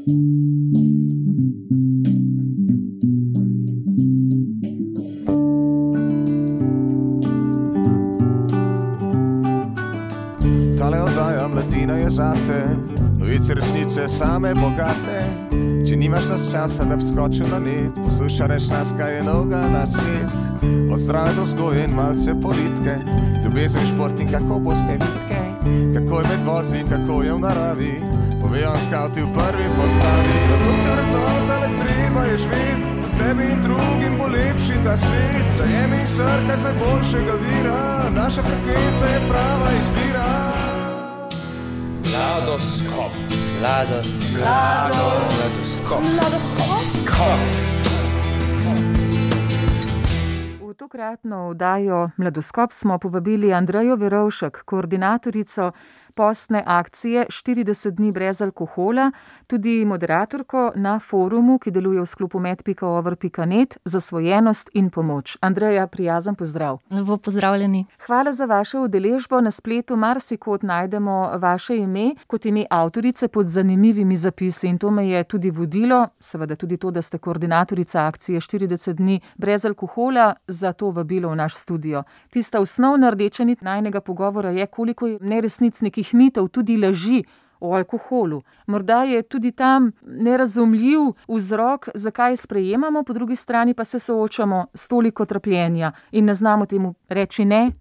Tale oddaja Mladina je zate, novice resnice same bogate. Če nimaš nas časa, da bi skočil na net, poslušaj reč nas, kaj je novega na svet. Od zdrave do vzgoje in malce politike, ljubezen, šport in kako boste vitke, kako je med vozi, kako je v naravi, povejo skavti v prvi postavi. Zato ste vrednota, le treba je živeti, tebi in drugim bo lepši ta svet. Zajemi in srkaj z najboljšega vira, naša frekvenca je prava izbira. Mladoskop. V tokratno oddajo Mladoskop smo povabili Andrejo Verovšek, koordinatorico postne akcije 40 dni brez alkohola, tudi moderatorko na forumu, ki deluje v sklopu med.over.net, zasvojenost in pomoč. Andreja, prijazen pozdrav. Lepo pozdravljeni. Hvala za vašo udeležbo. Na spletu marsikod najdemo vaše ime kot ime avtorice pod zanimivimi zapisi in to me je tudi vodilo, seveda tudi to, da ste koordinatorica akcije 40 dni brez alkohola, za to vabilo v naš studio. Tista osnovna rdeča nit najnega pogovora je, koliko je neresnic, nekih mitov, tudi laži o alkoholu. Morda je tudi tam nerazumljiv vzrok, zakaj sprejemamo, po drugi strani pa se soočamo s toliko trpljenja in ne znamo temu reči ne,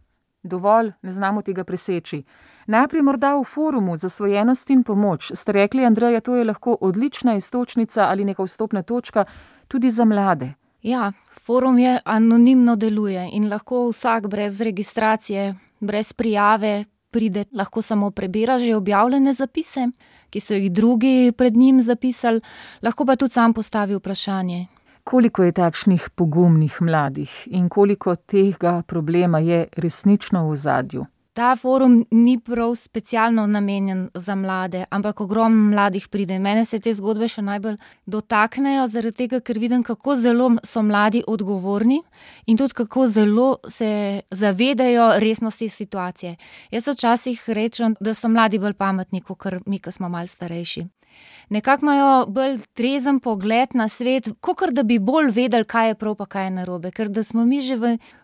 dovolj, ne znamo tega preseči. Najprej morda v forumu Zasvojenost in pomoč ste rekli, Andreja, to je lahko odlična iztočnica ali neka vstopna točka tudi za mlade. Ja, forum je anonimno deluje in lahko vsak brez registracije, brez prijave pride, lahko samo prebira že objavljene zapise, ki so jih drugi pred njim zapisali, lahko pa tudi sam postavi vprašanje. Koliko je takšnih pogumnih mladih in koliko tega problema je resnično v ozadju? Ta forum ni prav specialno namenjen za mlade, ampak ogromno mladih pride. Mene se te zgodbe še najbolj dotaknejo, zaradi tega, ker vidim, kako zelo so mladi odgovorni in tudi kako zelo se zavedajo resnosti situacije. Jaz včasih rečem, da so mladi bolj pametni, kot mi, ki smo malo starejši. Nekako imajo bolj trezen pogled na svet, kakor da bi bolj vedeli, kaj je prav pa kaj je narobe. Ker da smo mi že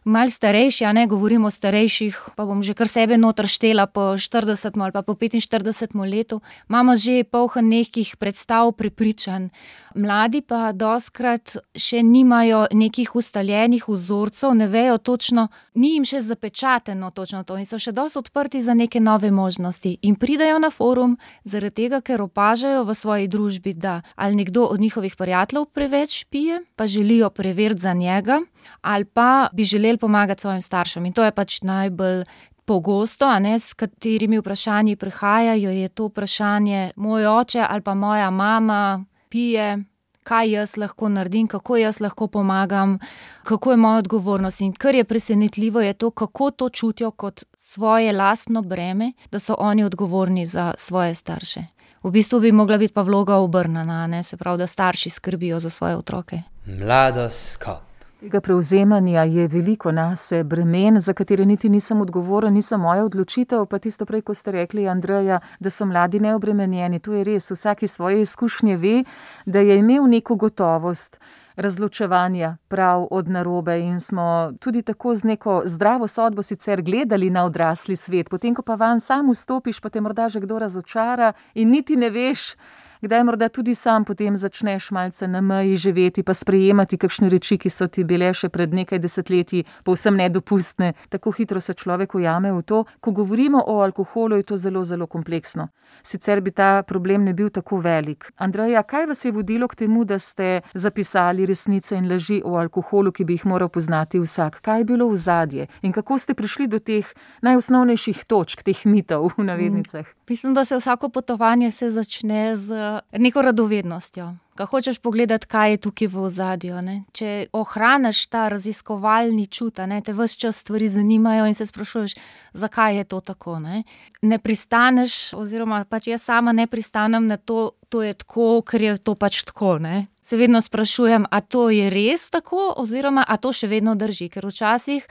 malo starejši, a ne govorimo o starejših, pa bom že kar sebe noter štela po 40 ali pa po 45 letu, imamo že poln nekih predstav, prepričanj. Mladi pa dostkrat še nimajo nekih ustaljenih vzorcev, ne vejo točno, ni jim še zapečateno točno to in so še dosti odprti za neke nove možnosti. In pridajo na forum zaradi tega, ker opažajo v svoji družbi, da ali nekdo od njihovih prijateljev preveč pije, pa želijo preveriti za njega, ali pa bi želeli pomagati svojim staršem. In to je pač najbolj pogosto, a ne, s katerimi vprašanji prihajajo, je to vprašanje, moj oče ali pa moja mama pije, kaj jaz lahko naredim, kako jaz lahko pomagam, kako je moja odgovornost. In kar je presenetljivo, je to, kako to čutijo kot svoje lastno breme, da so oni odgovorni za svoje starše. V bistvu bi mogla biti pa vloga obrnjena, ne, se pravi, da starši skrbijo za svoje otroke. Mladoskop. Tega prevzemanja je veliko nase bremen, za katere niti nisem odgovoren, nisem moja odločitev, pa tisto prej, ko ste rekli, Andreja, da so mladi neobremenjeni. To je res, vsaki svoje izkušnje ve, da je imel neko gotovost razločevanja prav od narobe in smo tudi tako z neko zdravo sodbo sicer gledali na odrasli svet, potem ko pa vanj sam vstopiš, pa te morda že kdo razočara in niti ne veš, kdaj morda tudi sam potem začneš malce na meji živeti pa sprejemati kakšne reči, ki so ti bile še pred nekaj desetletji povsem nedopustne. Tako hitro se človek ujame v to. Ko govorimo o alkoholu, je to zelo, zelo kompleksno. Sicer bi ta problem ne bil tako velik. Andreja, kaj vas je vodilo k temu, da ste zapisali resnice in laži o alkoholu, ki bi jih moral poznati vsak? Kaj je bilo ozadje? In kako ste prišli do teh najosnovnejših točk, teh mitov v navednicah? Mislim, da se vsako potovanje se začne z neko radovednostjo. Ko hočeš pogledati, kaj je tukaj v ozadju, ne? Če ohraniš ta raziskovalni čut, ne? Te ves čas stvari zanimajo in se sprašuješ, zakaj je to tako, ne pristaneš, oziroma pač jaz sama ne pristanem na to je tako, ker je to pač tako, ne. Se vedno sprašujem, a to je res tako, oziroma a to še vedno drži, ker včasih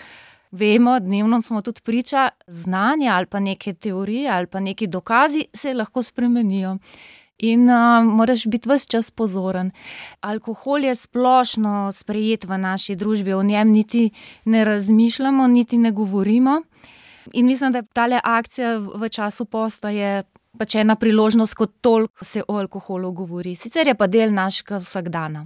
vemo, dnevno smo tudi priča, znanja ali pa neke teorije ali pa neki dokazi se lahko spremenijo. In moraš biti ves čas pozoren. Alkohol je splošno sprejet v naši družbi, o njem niti ne razmišljamo, niti ne govorimo. In mislim, da tale akcija v času posta je pač ena priložnost, kot toliko se o alkoholu govori. Sicer je pa del našega vsakdana.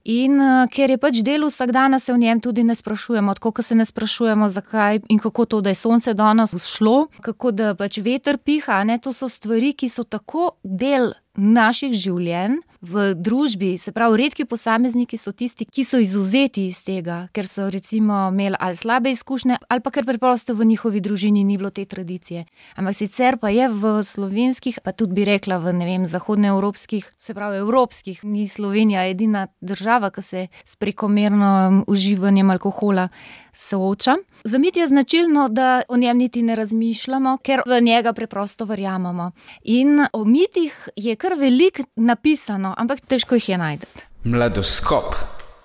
In ker je pač del vsakdana, se o njem tudi ne sprašujemo. Tako, ko se ne sprašujemo, zakaj in kako to, da je sonce danes vzšlo, kako da pač veter piha, ne? To so stvari, ki so tako del naših življenj v družbi. Se pravi, redki posamezniki so tisti, ki so izvzeti iz tega, ker so recimo imeli ali slabe izkušnje, ali pa ker preprosto v njihovi družini ni bilo te tradicije. Ampak sicer pa je v slovenskih, pa tudi bi rekla v, zahodnoevropskih, se pravi evropskih, ni Slovenija edina država, ki se s prekomerno uživanjem alkohola sooča. Za mit je značilno, da o njem niti ne razmišljamo, ker v njega preprosto verjamemo. In o mitih je kar veliko napisano, ampak težko jih je najti. Mladoskop.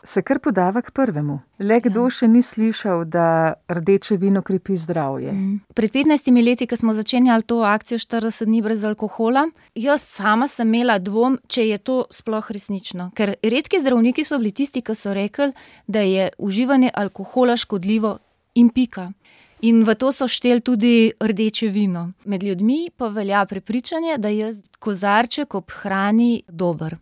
Se kar podava k prvemu. Le kdo še ni slišal, da rdeče vino krepi zdravje. Pred 15 leti, ko smo začenjali to akcijo 40 dni brez alkohola, jaz sama sem imela dvom, če je to sploh resnično. Ker redki zdravniki so bili tisti, ki so rekli, da je uživanje alkohola škodljivo in pika. In v to so šteli tudi rdeče vino. Med ljudmi pa velja prepričanje, da je kozarček ob hrani dober.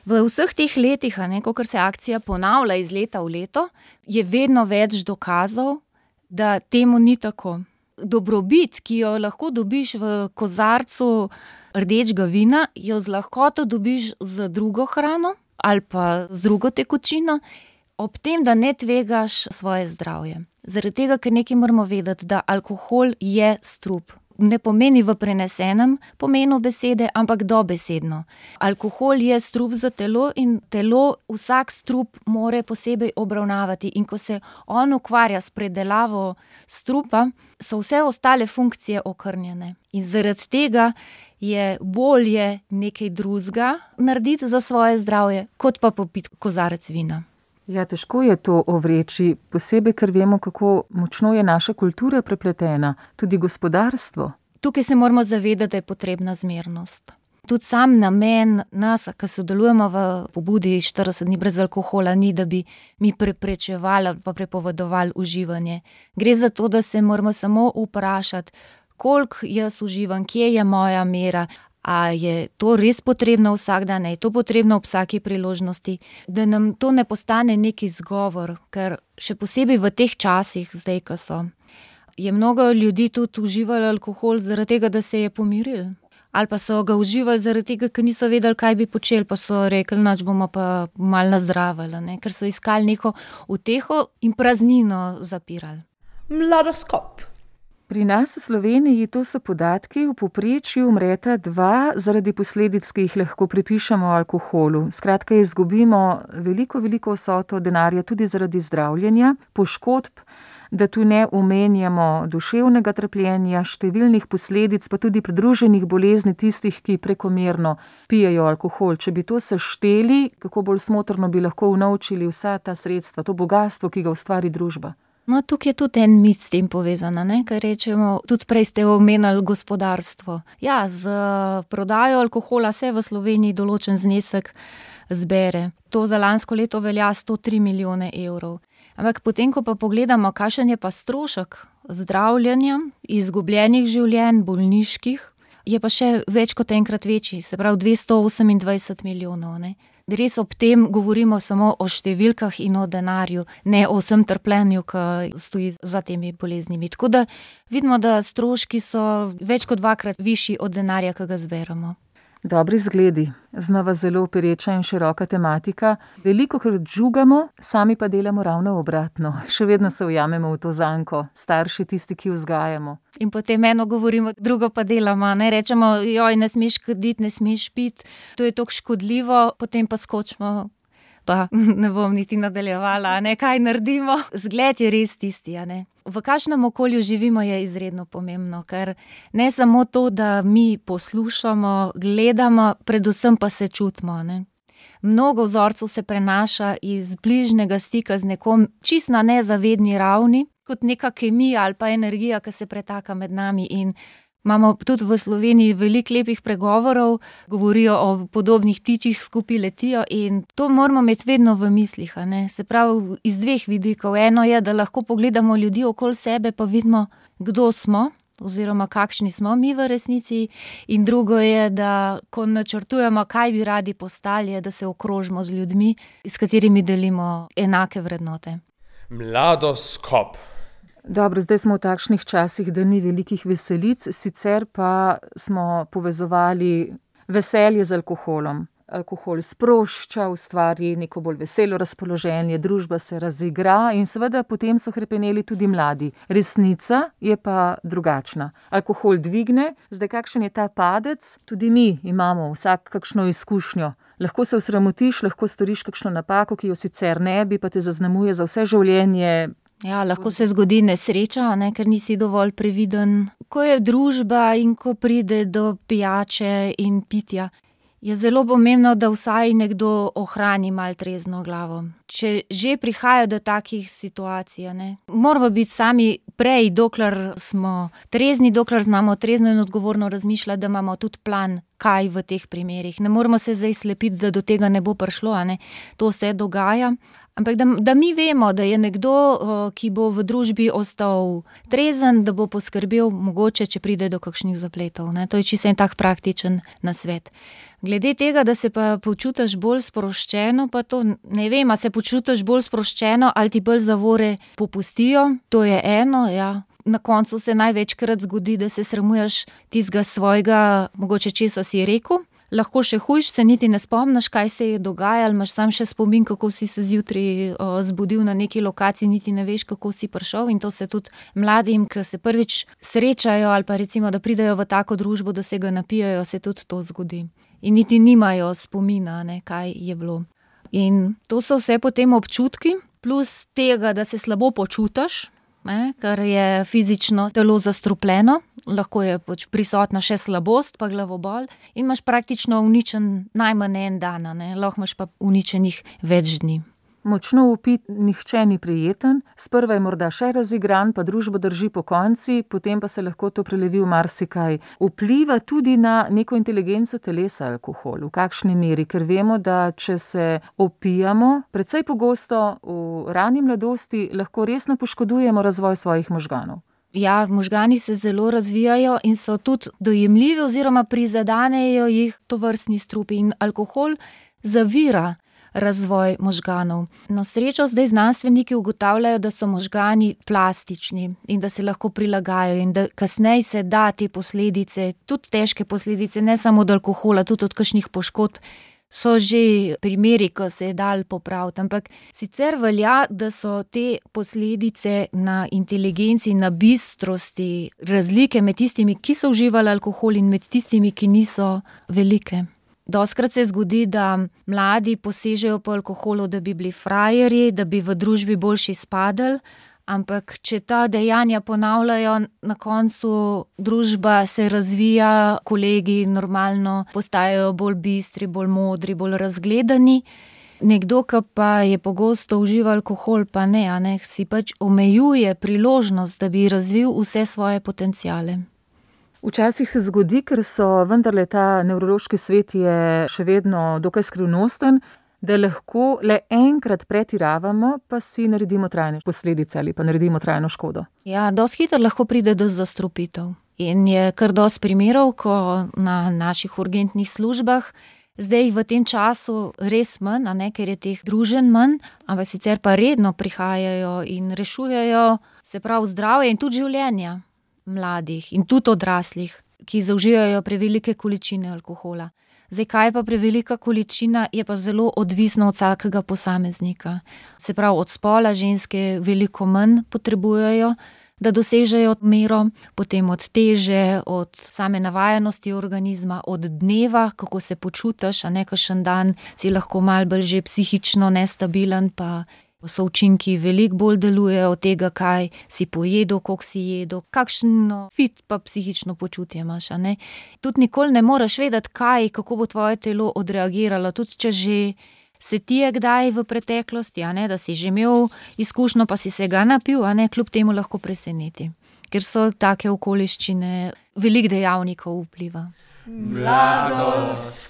V vseh teh letih, ko se akcija ponavlja iz leta v leto, je vedno več dokazov, da temu ni tako. Dobrobit, ki jo lahko dobiš v kozarcu rdečega vina, jo z lahkoto dobiš z drugo hrano ali pa z drugo tekočino, ob tem, da ne tvegaš svoje zdravje. Zaradi tega, ker nekaj moramo vedeti, da alkohol je strup. Ne pomeni v prenesenem pomenu besede, ampak dobesedno. Alkohol je strup za telo in telo vsak strup more posebej obravnavati. In ko se on ukvarja s predelavo strupa, so vse ostale funkcije okrnjene. In zaradi tega je bolje nekaj drugega narediti za svoje zdravje, kot pa popiti kozarec vina. Ja, težko je to ovreči, posebej, ker vemo, kako močno je naša kultura prepletena, tudi gospodarstvo. Tukaj se moramo zavedati, da je potrebna zmernost. Tudi sam namen nas, ki sodelujemo v pobudi 40 dni brez alkohola, ni, da bi mi preprečevali ali pa prepovedovali uživanje. Gre za to, da se moramo samo vprašati, koliko jaz uživam, kje je moja mera, a je to res potrebno vsak dan, je to potrebno ob vsaki priložnosti, da nam to ne postane neki izgovor, ker še posebej v teh časih, zdaj, ko so, je mnogo ljudi tudi uživalo alkohol zaradi tega, da se je pomiril. Ali pa so ga uživali zaradi tega, ker niso vedeli, kaj bi počeli, pa so rekli, nač bomo pa malo nazdravili, ker so iskali neko uteho in praznino zapirali. Mladoskop. Pri nas v Sloveniji, to so podatki, v povprečju umreta 2 zaradi posledic, ki jih lahko pripišemo alkoholu. Skratka, izgubimo veliko vsoto denarja tudi zaradi zdravljenja, poškodb, da tu ne omenjamo duševnega trpljenja, številnih posledic, pa tudi pridruženih bolezni tistih, ki prekomerno pijejo alkohol. Če bi to sešteli, kako bolj smotrno bi lahko unovčili vsa ta sredstva, to bogastvo, ki ga ustvari družba. No, tukaj je tudi en mit s tem povezan, ker rečemo, tudi prej ste omenili gospodarstvo. Ja, z prodajo alkohola se v Sloveniji določen znesek zbere. To za lansko leto velja 103 milijone evrov. Ampak potem, ko pa pogledamo, kakšen je pa strošek zdravljenja, izgubljenih življenj, bolniških, je pa še več kot enkrat večji, se pravi 228 milijonov, Res ob tem govorimo samo o številkah in o denarju, ne o vsem trpljenju, ki stoji za temi boleznimi. Tako da vidimo, da stroški so več kot 2-krat višji od denarja, ki ga zberemo. Dobri zgledi, znova zelo pereča in široka tematika. Velikokrat žugamo, sami pa delamo ravno obratno. Še vedno se ujamemo v to zanko, starši tisti, ki vzgajamo. In potem eno govorimo, drugo pa delamo, Rečemo, joj, ne smeš kaditi, ne smeš piti, to je toliko škodljivo, potem pa skočimo, pa ne bom niti nadaljevala, kaj naredimo. Zgled je res tisti, V kakšnem okolju živimo je izredno pomembno, ker ne samo to, da mi poslušamo, gledamo, predvsem pa se čutimo, Mnogo vzorcev se prenaša iz bližnjega stika z nekom čisto na nezavedni ravni, kot neka kemija ali pa energija, ki se pretaka med nami in Imamo tudi v Sloveniji veliko lepih pregovorov, govorijo o podobnih ptičjih skupaj letijo in to moramo imeti vedno v mislih, a ne. Se pravi, iz dveh vidikov. Eno je, da lahko pogledamo ljudi okoli sebe, pa vidimo, kdo smo, oziroma kakšni smo mi v resnici. In drugo je, da ko načrtujemo, kaj bi radi postali, je, da se okrožimo z ljudmi, s katerimi delimo enake vrednote. Mladoskop. Dobro, zdaj smo v takšnih časih, da ni velikih veselic, sicer pa smo povezovali veselje z alkoholom. Alkohol sprošča, ustvari neko bolj veselo razpoloženje, družba se razigra in seveda potem so hrepeneli tudi mladi. Resnica je pa drugačna. Alkohol dvigne, zdaj kakšen je ta padec, tudi mi imamo vsak kakšno izkušnjo. Lahko se osramotiš, lahko storiš kakšno napako, ki jo sicer ne bi, pa te zaznamuje za vse življenje. Ja, lahko se zgodi nesreča, ne, ker nisi dovolj previden. Ko je družba in ko pride do pijače in pitja, je zelo pomembno, da vsaj nekdo ohrani malo trezno glavo. Če že prihaja do takih situacij, ne, moramo biti sami prej, dokler smo trezni, dokler znamo trezno in odgovorno razmišljati, da imamo tudi plan, kaj v teh primerih. Ne moramo se zdaj slepiti, da do tega ne bo prišlo, a ne. To se dogaja. Ampak da mi vemo, da je nekdo, ki bo v družbi ostal trezen, da bo poskrbel mogoče, če pride do kakšnih zapletov, ne. To je čisto en tak praktičen nasvet. Glede tega, da se pa počutiš bolj sproščeno, pa to ne vem, a se počutiš bolj sproščeno ali ti bolj zavore popustijo, to je eno, ja. Na koncu se največkrat zgodi, da se sramuješ tistega svojega, mogoče česa si rekel. Lahko še hujš, se niti ne spomniš, kaj se je dogajalo, imaš sam še spomin, kako si se zjutraj zbudil na neki lokaciji, niti ne veš, kako si prišel, in to se tudi mladim, ki se prvič srečajo ali pa recimo, da pridejo v tako družbo, da se ga napijajo, se tudi to zgodi. In niti nimajo spomina, ne, kaj je bilo. In to so vse potem občutki, plus tega, da se slabo počutiš, ne, ker je fizično telo zastrupljeno, lahko je prisotna še slabost pa glavobol in imaš praktično uničen najmanj en dan, ne, lahko imaš pa uničenih več dni. Močno upit nihče ni prijeten, sprva je morda še razigran, pa družbo drži pokonci, potem pa se lahko to prelevi v marsikaj. Vpliva tudi na neko inteligenco telesa alkohol, v kakšni meri, ker vemo, da če se opijamo, precej pogosto v rani mladosti lahko resno poškodujemo razvoj svojih možganov. Ja, možgani se zelo razvijajo in so tudi dojemljivi oziroma prizadanejo jih tovrstni strupi in alkohol zavira razvoj možganov. Na srečo zdaj znanstveniki ugotavljajo, da so možgani plastični in da se lahko prilagajajo in da kasneje se da te posledice, tudi težke posledice, ne samo od alkohola, tudi od kakšnih poškodb, so že primeri, ko se je dal popraviti. Ampak sicer velja, da so te posledice na inteligenci, na bistrosti, razlike med tistimi, ki so uživali alkohol in med tistimi, ki niso, velike. Dostikrat se zgodi, da mladi posežejo po alkoholu, da bi bili frajerji, da bi v družbi boljši izpadli, ampak če ta dejanja ponavljajo, na koncu družba se razvija, kolegi normalno postajajo bolj bistri, bolj modri, bolj razgledani. Nekdo, ki pa je pogosto užival alkohol, pa ne, a ne, si pač omejuje priložnost, da bi razvil vse svoje potenciale. Včasih se zgodi, ker so vendarle ta nevrološki svet je še vedno dokaj skrivnosten, da lahko le enkrat pretiravamo, pa si naredimo trajne posledice ali pa naredimo trajno škodo. Ja, dosti hitro lahko pride do zastrupitev. In je kar dosti primerov, ko na naših urgentnih službah, zdaj v tem času res manj, a ne, ker je teh druženj manj, ampak sicer pa redno prihajajo in rešujejo, se pravi zdravje in tudi življenja mladih in tudi odraslih, ki zaužijajo prevelike količine alkohola. Zdaj, kaj pa prevelika količina, je pa zelo odvisno od vsakega posameznika. Se pravi, od spola ženske veliko manj potrebujejo, da dosežejo mero, potem od teže, od same navajenosti organizma, od dneva, kako se počutiš, a ne, kakšen dan si lahko malo bolj že psihično nestabilen, pa so učinki veliko bolj delujejo od tega, kaj si pojedel, koliko si jedel, kakšno fit pa psihično počutje imaš, a ne. Tudi nikoli ne moreš vedeti, kako bo tvoje telo odreagiralo, tudi če že se ti je kdaj v preteklosti, a ne, da si že imel izkušnjo, pa si se ga napil, a ne, kljub temu lahko preseneti. Ker so take okoliščine veliko dejavnikov vpliva. Mladoskop.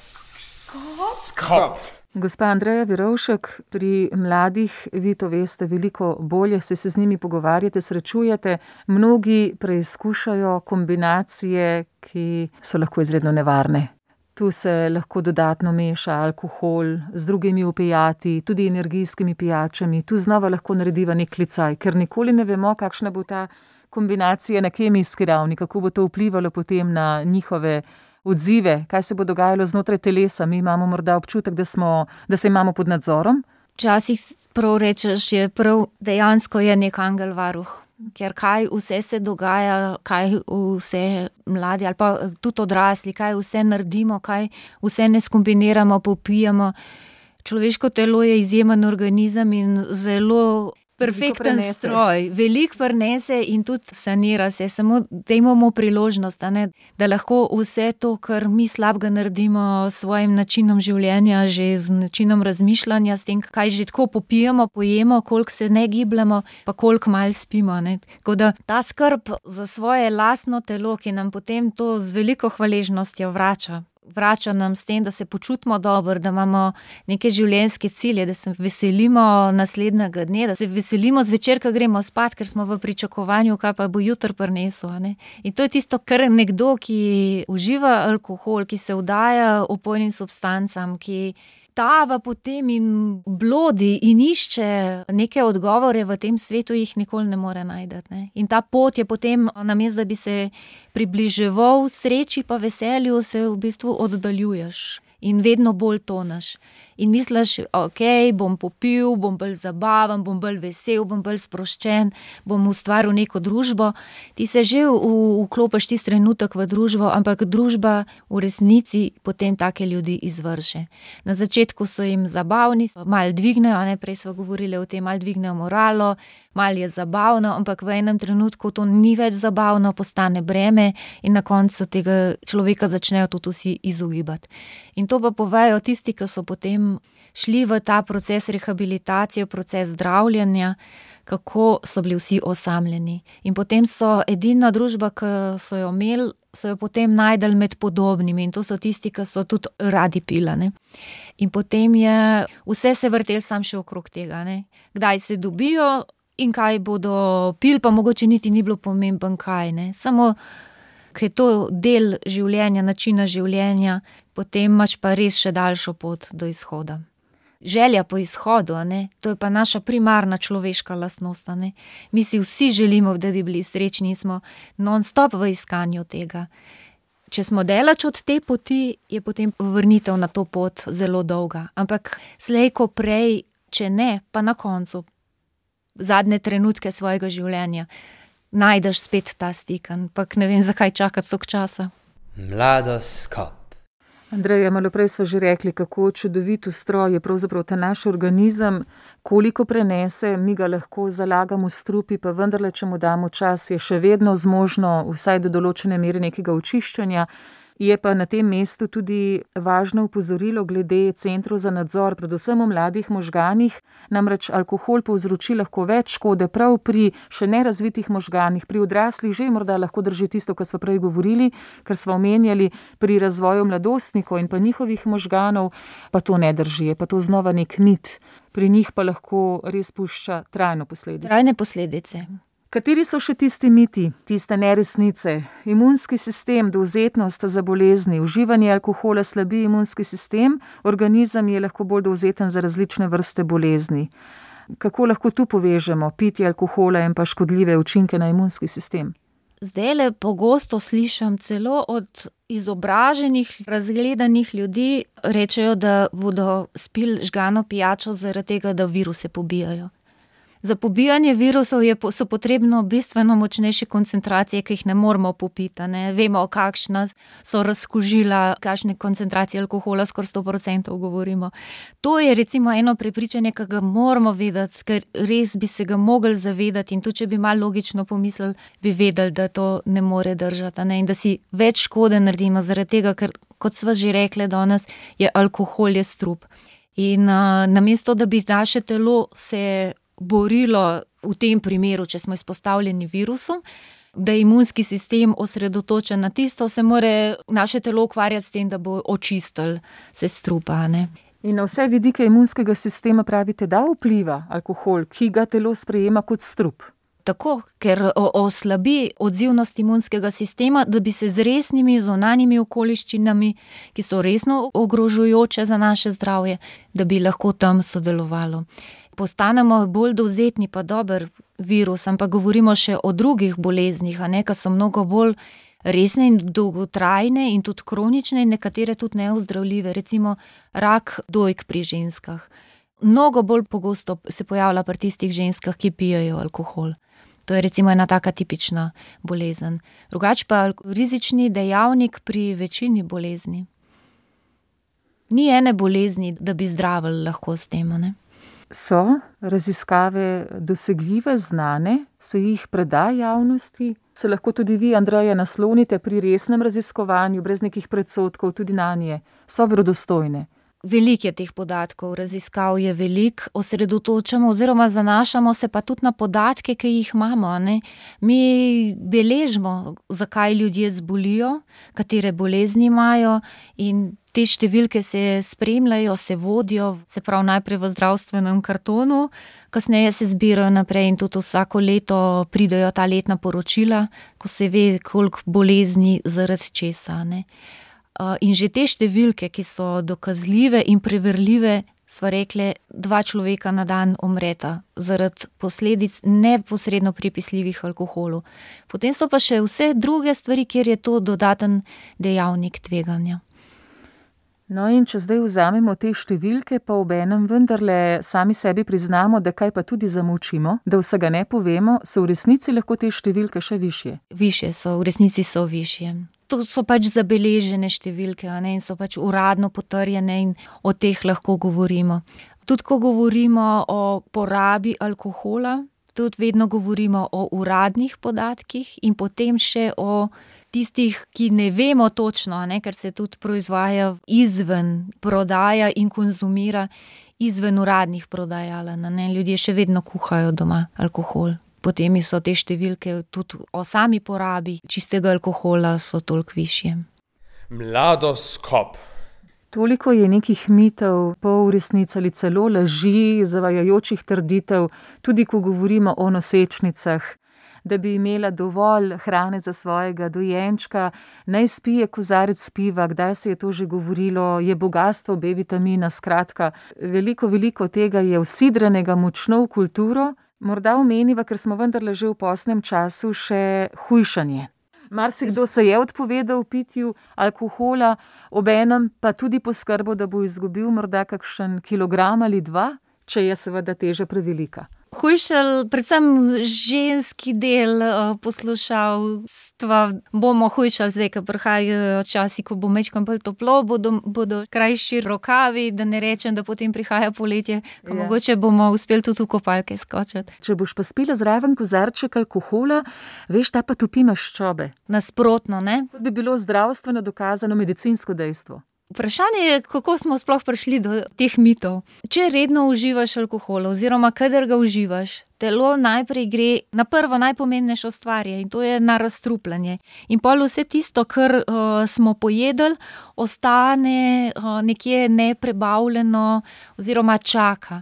Gospa Andreja Verovšek, pri mladih vi to veste veliko bolje, se z njimi pogovarjate, srečujete. Mnogi preizkušajo kombinacije, ki so lahko izredno nevarne. Tu se lahko dodatno meša alkohol z drugimi opijati, tudi energijskimi pijačami. Tu znova lahko narediva nek klicaj, ker nikoli ne vemo, kakšna bo ta kombinacija na kemijski ravni, kako bo to vplivalo potem na njihove odzive, kaj se bo dogajalo znotraj telesa. Mi imamo morda občutek, da se imamo pod nadzorom. Včasih prav rečeš, je prav dejansko je nek angel varuh. Ker kaj vse se dogaja, kaj vse mladi ali pa tudi odrasli, kaj vse naredimo, kaj vse ne skombiniramo, popijemo. Človeško telo je izjemen organizem in zelo perfekten stroj. Veliko prenese in tudi sanira se. Samo dajmo mu priložnost, da lahko vse to, kar mi slabega naredimo s svojim načinom življenja, že z načinom razmišljanja, s tem, kaj že tako popijemo, pojemo, koliko se ne gibljamo, pa koliko malo spimo. Tako da ta skrb za svoje lastno telo, ki nam potem to z veliko hvaležnostjo vrača nam s tem, da se počutimo dobro, da imamo neke življenjske cilje, da se veselimo naslednjega dne, da se veselimo zvečer, ko gremo spat, ker smo v pričakovanju, kaj pa bo jutri prinesel. In to je tisto, kar nekdo, ki uživa alkohol, ki se vdaja opojnim substancam, ki tava potem in blodi in išče neke odgovore v tem svetu, jih nikoli ne more najti. In ta pot je potem, namesto da bi se približeval sreči pa veselju, se v bistvu oddaljuješ in vedno bolj toneš. In misliš, ok, bom popil, bom bolj zabaven, bom bolj vesel, bom bolj sproščen, bom ustvaril neko družbo. Ti se že vklopiš tisti trenutek v družbo, ampak družba v resnici potem take ljudi izvrže. Na začetku so jim zabavni, malo dvignejo, prej smo govorili o tem, malo dvignejo moralo, malo je zabavno, ampak v enem trenutku to ni več zabavno, postane breme in na koncu tega človeka začnejo tudi vsi izogibati. In to pa povejo tisti, ki so potem šli v ta proces rehabilitacije, proces zdravljenja, kako so bili vsi osamljeni. In potem so edina družba, ki so jo imeli, so jo potem najdeli med podobnimi in to so tisti, ki so tudi radi pili. In potem je vse se vrtel sam še okrog tega. Kdaj se dobijo in kaj bodo pili, pa mogoče niti ni bilo pomemben kaj. Samo, ker je to del življenja, načina življenja, potem imaš pa res še daljšo pot do izhoda. Želja po izhodu, to je pa naša primarna človeška lastnost. Mi si vsi želimo, da bi bili srečni, smo non-stop v iskanju tega. Če smo daleč od te poti, je potem vrnitev na to pot zelo dolga. Ampak slej ko prej, če ne, pa na koncu, zadnje trenutke svojega življenja, najdeš spet ta stik, ampak ne vem, zakaj čakati toliko časa. Mladoskop. Andreja, malo prej smo že rekli, kako čudovit ustroj je pravzaprav ta naš organizem, koliko prenese, mi ga lahko zalagamo v strupi, pa vendarle, če mu damo čas, je še vedno zmožno vsaj do določene mere nekega očiščenja. Je pa na tem mestu tudi važno opozorilo glede centrov za nadzor, predvsem v mladih možganih, namreč alkohol povzroči lahko več škode prav pri še nerazvitih možganih, pri odraslih že morda lahko drži tisto, kar smo prej govorili, kar smo omenjali pri razvoju mladostnikov in pa njihovih možganov, pa to ne drži, je pa to znova nek mit. Pri njih pa lahko res pušča trajne posledice. Trajne posledice. Kateri so še tisti miti, tiste neresnice? Imunski sistem, dovzetnost za bolezni, uživanje alkohola slabi imunski sistem, organizem je lahko bolj dovzeten za različne vrste bolezni. Kako lahko tu povežemo pitje alkohola in pa škodljive učinke na imunski sistem? Zdajle pogosto slišim celo od izobraženih, razgledanih ljudi, rečejo, da bodo spili žgano pijačo zaradi tega, da viruse pobijajo. Za pobijanje virusov so potrebno bistveno močnejše koncentracije, ki jih ne moramo popiti. Vemo, kakšna so razkužila, kakšne koncentracije alkohola, skoraj 100% govorimo. To je recimo eno prepričanje, ki ga moramo vedeti, ker res bi se ga mogli zavedati in tudi, če bi malo logično pomislili, bi vedeli, da to ne more držati. In da si več škode naredimo zaradi tega, ker, kot sva že rekli danes, je alkohol je strup. In namesto, da bi naše telo se borilo v tem primeru, če smo izpostavljeni virusom, da je imunski sistem osredotočen na tisto, se more naše telo ukvarjati s tem, da bo očistil se strupa, ne. In na vse vidike imunskega sistema pravite, da vpliva alkohol, ki ga telo sprejema kot strup. Tako, ker oslabi odzivnost imunskega sistema, da bi se z resnimi zunanjimi okoliščinami, ki so resno ogrožujoče za naše zdravje, da bi lahko tam sodelovalo. Postanemo bolj dovzetni, pa dober virus, ampak govorimo še o drugih boleznih, ki so mnogo bolj resne in dolgotrajne in tudi kronične in nekatere tudi neozdravljive, recimo rak dojk pri ženskah. Mnogo bolj pogosto se pojavlja pri tistih ženskah, ki pijejo alkohol. To je recimo ena taka tipična bolezen. Drugače pa rizični dejavnik pri večini bolezni. Ni ene bolezni, da bi zdravili lahko s tem, ne? So raziskave dosegljive, znane, se jih preda javnosti? Se lahko tudi vi, Andreja, naslonite pri resnem raziskovanju, brez nekih predsodkov tudi nanje? So verodostojne? Veliko je teh podatkov, raziskav je veliko, osredotočamo oziroma zanašamo se pa tudi na podatke, ki jih imamo, ne. Mi beležimo, zakaj ljudje zbolijo, katere bolezni imajo in te številke se spremljajo, se vodijo, se pravi najprej v zdravstvenem kartonu, kasneje se zbirajo naprej in tudi vsako leto pridejo ta letna poročila, ko se ve, koliko bolezni zaradi česa, ne. In že te številke, ki so dokazljive in preverljive, sva rekli, 2 človeka na dan umreta zaradi posledic neposredno pripisljivih alkoholu. Potem so pa še vse druge stvari, kjer je to dodaten dejavnik tveganja. No, in če zdaj vzamemo te številke, pa obenem vendarle sami sebi priznamo, da kaj pa tudi zamolčimo, da vsega ne povemo, so v resnici lahko te številke še višje. Višje so, v resnici so višje. To so pač zabeležene številke, in so pač uradno potrjene in o teh lahko govorimo. Tudi ko govorimo o porabi alkohola, tudi vedno govorimo o uradnih podatkih in potem še o tistih, ki ne vemo točno, ker se tudi proizvaja izven prodaja in konzumira izven uradnih prodajaln, Ljudje še vedno kuhajo doma alkohol. Potem so te številke tudi o sami porabi čistega alkohola so toliko višje. Mladoskop. Toliko je nekih mitov, polresnic ali celo laži, zavajajočih trditev, tudi ko govorimo o nosečnicah, da bi imela dovolj hrane za svojega dojenčka, naj spije kozarec piva, kdaj se je to že govorilo, je bogastvo B-vitamina, skratka, veliko tega je vsidranega močno v kulturo. Morda omeniva, ker smo vendarle že v posnem času, še hujšanje. Marsikdo se je odpovedal pitju alkohola, obenem pa tudi poskrbel, da bo izgubil morda kakšen kilogram ali 2, če je seveda teža prevelika. Hujšal, predvsem ženski del poslušalstva, bomo hujšali zdaj, ko prihajajo časi, ko bo majčkeno bolj toplo, bodo krajši rokavi, da ne rečem, da potem prihaja poletje, ko mogoče bomo uspeli tudi v kopalke skočiti. Če boš pa spila zraven kozarček alkohola, veš, ta pa topi maščobe. Nasprotno, ne? To bi bilo zdravstveno dokazano medicinsko dejstvo. Vprašanje je, kako smo sploh prišli do teh mitov. Če redno uživaš alkohol oziroma kadar ga uživaš, telo najprej gre na prvo najpomembnejšo stvar in to je na razstrupljanje. In pol vse tisto, kar smo pojedli, ostane nekje neprebavljeno oziroma čaka.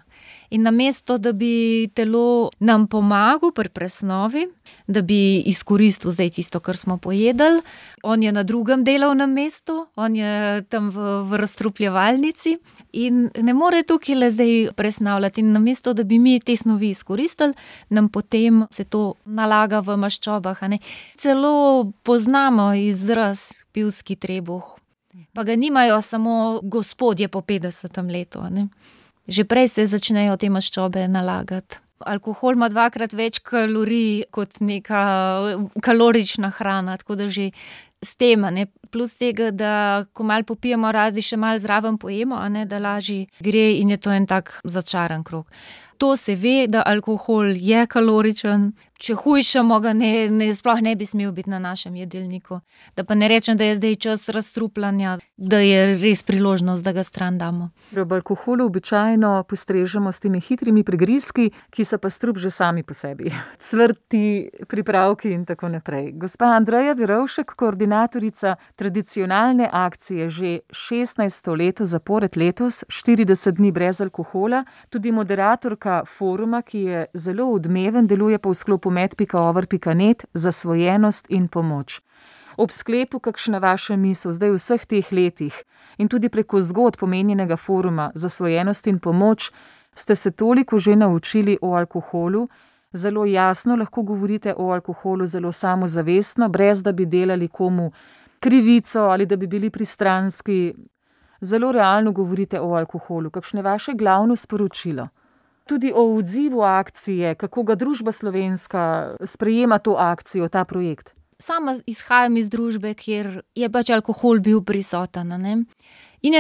In namesto, da bi telo nam pomagal pri presnovi, da bi izkoristil zdaj tisto, kar smo pojedli, on je na drugem delovnem mestu, on je tam v razstrupljevalnici in ne more tukaj le zdaj presnavljati. In namesto, da bi mi te snovi izkoristili, nam potem se to nalaga v maščobah. Celo poznamo izraz pivski trebuh, pa ga nimajo samo gospodje po 50. letu, Že prej se začnejo te maščobe nalagati. Alkohol ima 2-krat več kalorij kot neka kalorična hrana, tako da že s tem, plus tega, da ko malo popijemo, radi še malo zraven pojemo, da lažje gre in je to en tak začaran krog. to se ve, da alkohol je kaloričen. Če hujšamo ga, sploh ne bi smel biti na našem jedilniku. Da pa ne rečem, da je zdaj čas razstrupljanja, da je res priložnost, da ga stran damo. Ob alkoholu običajno postrežemo s temi hitrimi prigrizki, ki so pa strup že sami po sebi. Cvrti, pripravki in tako naprej. Gospa Andreja Verovšek, koordinatorica tradicionalne akcije že 16. leto zapored letos, 40 dni brez alkohola, tudi moderatorka foruma, ki je zelo odmeven, deluje pa v sklopu med.over.net, zasvojenost in pomoč. Ob sklepu, kakšna vaša misel zdaj v vseh teh letih in tudi preko zgodb omenjenega foruma Zasvojenost in pomoč, ste se toliko že naučili o alkoholu, zelo jasno lahko govorite o alkoholu, zelo samozavestno, brez da bi delali komu krivico ali da bi bili pristranski. Zelo realno govorite o alkoholu. Kakšno je vaše glavno sporočilo? Tudi o odzivu akcije, kako ga družba slovenska sprejema to akcijo, ta projekt. Sama izhajam iz družbe, kjer je pač alkohol bil prisoten. Ne? In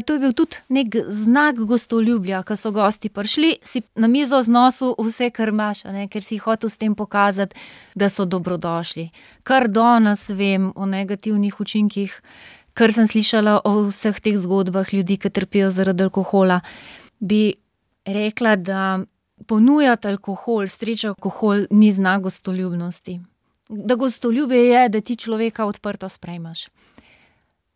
to je bil tudi nek znak gostoljubja, ko so gosti prišli, si na mizo znosil vse, kar imaš, ker si hotel s tem pokazati, da so dobrodošli. Kar danes vem o negativnih učinkih, kar sem slišala o vseh teh zgodbah ljudi, ki trpijo zaradi alkohola, bi rekla, da ponujati alkohol, streči alkohol ni znak gostoljubnosti. Da gostoljubje je, da ti človeka odprto sprejmaš.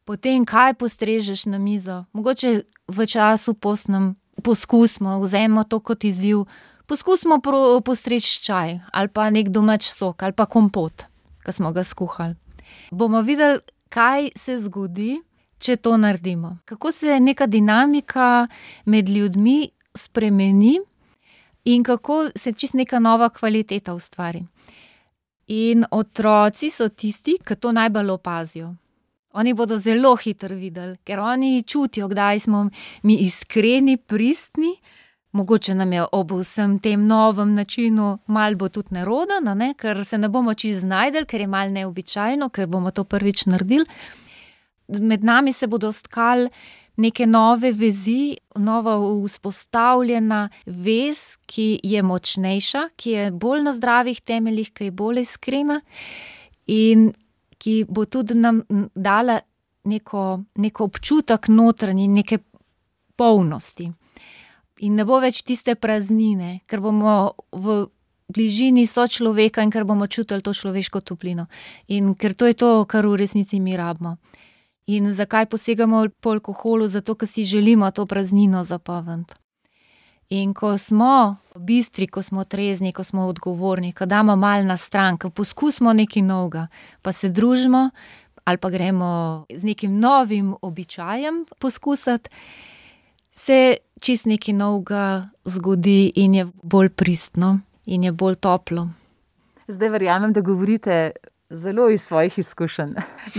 Potem, kaj postrežeš na mizo? Mogoče v času postnem poskusimo, vzemimo to kot izziv, poskusimo postreči čaj ali pa nek domač sok ali pa kompot, ki smo ga skuhali. Bomo videli, kaj se zgodi, če to naredimo. Kako se neka dinamika med ljudmi spremeni in kako se čisto neka nova kvaliteta ustvari. In otroci so tisti, ki to najbolj opazijo. Oni bodo zelo hitro videli, ker oni čutijo, kdaj smo mi iskreni, pristni. Mogoče nam je ob vsem tem novem načinu malo bo tudi nerodno, ker se ne bomo čisto znajdeli, ker je malo neobičajno, ker bomo to prvič naredili. Med nami se bodo stkali neke nove vezi, nova vzpostavljena vez, ki je močnejša, ki je bolj na zdravih temeljih, ki je bolj iskrena in ki bo tudi nam dala neko občutek notranji, neke polnosti. In ne bo več tiste praznine, ker bomo v bližini sočloveka in ker bomo čutili to človeško toplino. In ker to je to, kar v resnici mi rabimo. In zakaj posegamo po alkoholu? Zato, ker si želimo to praznino zapolniti. In ko smo bistri, ko smo trezni, ko smo odgovorni, ko damo malo na stran, ko poskusimo nekaj novega, pa se družimo ali pa gremo z nekim novim običajem poskusiti, se čist nekaj novega zgodi in je bolj pristno in je bolj toplo. Zdaj verjamem, da govorite zelo iz svojih izkušenj.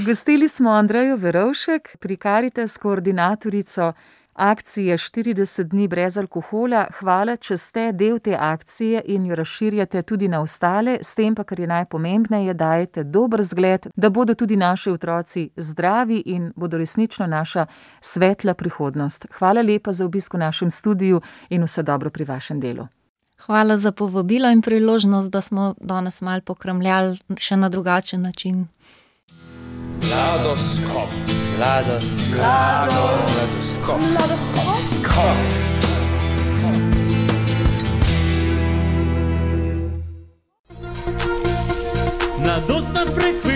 Gostili smo Andrejo Verovšek, pri Karitas koordinatorico akcije 40 dni brez alkohola. Hvala, če ste del te akcije in jo razširjate tudi na ostale, s tem pa, kar je najpomembneje, dajete dober zgled, da bodo tudi naši otroci zdravi in bodo resnično naša svetla prihodnost. Hvala lepa za obisk v našem studiu in vse dobro pri vašem delu. Hvala za povabilo in priložnost, da smo danes malo pokramljali še na drugačen način. Mladoskop. Mladostna frekvenca.